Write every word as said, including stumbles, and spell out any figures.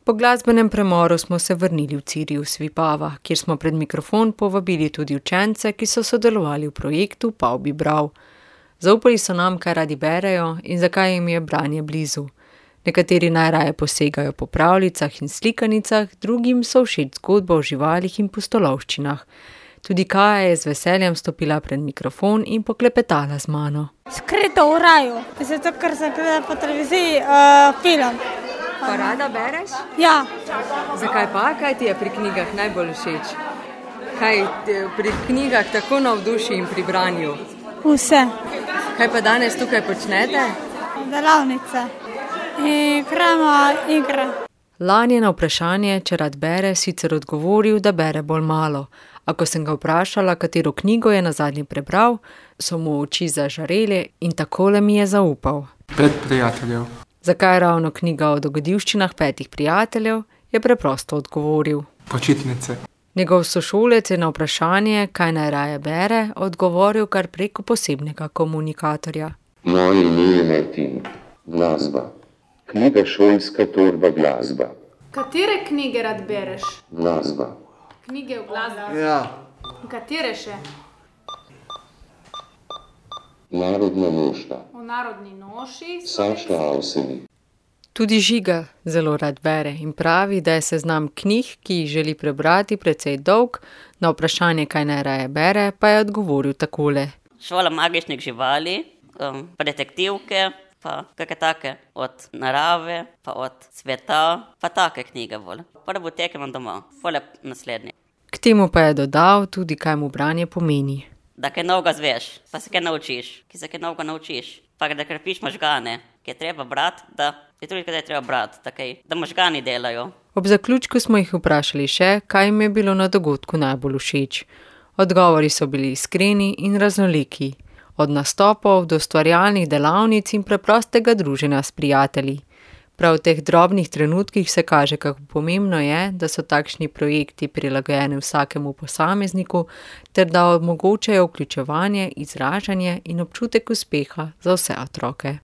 Po glasbenem premoru smo se vrnili v Cirius Vipava, kjer smo pred mikrofon povabili tudi učence, ki so sodelovali v projektu Pav bi bral. Zaupali so nam, kaj radi berejo in zakaj jim je branje blizu. Nekateri najraje posegajo po pravljicah in slikanicah, drugim so všeč zgodbe o živalih in pustolovščinah. Tudi Kaja je z veseljem stopila pred mikrofon in poklepetala z mano. Skrito v raju, zato ker sem gledala po televiziji uh, film. Pa rada bereš? Ja. Zakaj pa? Kaj ti je pri knjigah najbolj všeč? Kaj te pri knjigah tako navduši in pri branju? Vse. Kaj pa danes tukaj počnete? Delavnice. Igramo igre. Lani je na vprašanje, če rad bere, sicer odgovoril, da bere bolj malo. A ko sem ga vprašala, katero knjigo je nazadnje prebral, so mu oči zažarele in takole mi je zaupal. Pet prijateljev. Zakaj ravno knjiga o dogodivščinah petih prijateljev, je preprosto odgovoril. Počitnice. Njegov sošolec je na vprašanje, kaj najraje bere, odgovoril kar preko posebnega komunikatorja. Moje ime je Martin. Glasba. Knjiga šolska torba glasba. Katere knjige rad bereš? Glasba. Knjige v glasbi? Ja. Katere še? Narodna nošta. V narodni noši? Saša Avsenik. Tudi Žiga zelo rad bere in pravi, da je seznam knjig, ki jih želi prebrati, precej dolg, na vprašanje, kaj najraje bere, pa je odgovoril takole. Šola magičnih živali, um, pa detektivke, pa kakšne take od narave, pa od sveta, pa take knjige bolj. Prvo tekemo doma, pole naslednji. K temu pa je dodal tudi, kaj mu branje pomeni. Da kaj novega zveš, pa se kaj naučiš, ki se kaj novega naučiš, pa da krepiš možgane, ki je treba brati, da je tudi kaj je treba brati, takaj, da možgani delajo. Ob zaključku smo jih vprašali še, kaj jim je bilo na dogodku najbolj všeč. Odgovori so bili iskreni in raznoliki. Od nastopov do ustvarjalnih delavnic in preprostega druženja s prijatelji. Prav v teh drobnih trenutkih se kaže, kako pomembno je, da so takšni projekti prilagojeni vsakemu posamezniku, ter da omogočajo vključevanje, izražanje in občutek uspeha za vse otroke.